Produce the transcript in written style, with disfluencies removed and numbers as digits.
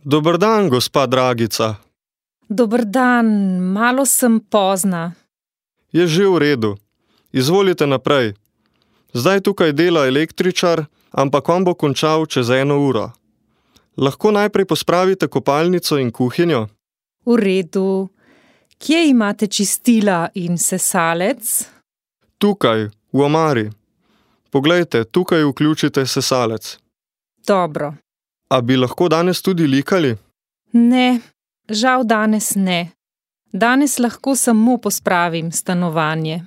Dober dan, gospa Dragica. Dober dan, malo sem pozna. Je že v redu. Izvolite naprej. Zdaj tukaj dela električar, ampak on bo končal čez 1 uro. Lahko najprej pospravite kopalnico in kuhinjo? V redu. Kje imate čistila in sesalec? Tukaj, v omari. Poglejte, tukaj vključite sesalec. Dobro. A bi lahko danes tudi likali? Ne, žal danes ne. Danes lahko samo pospravim stanovanje.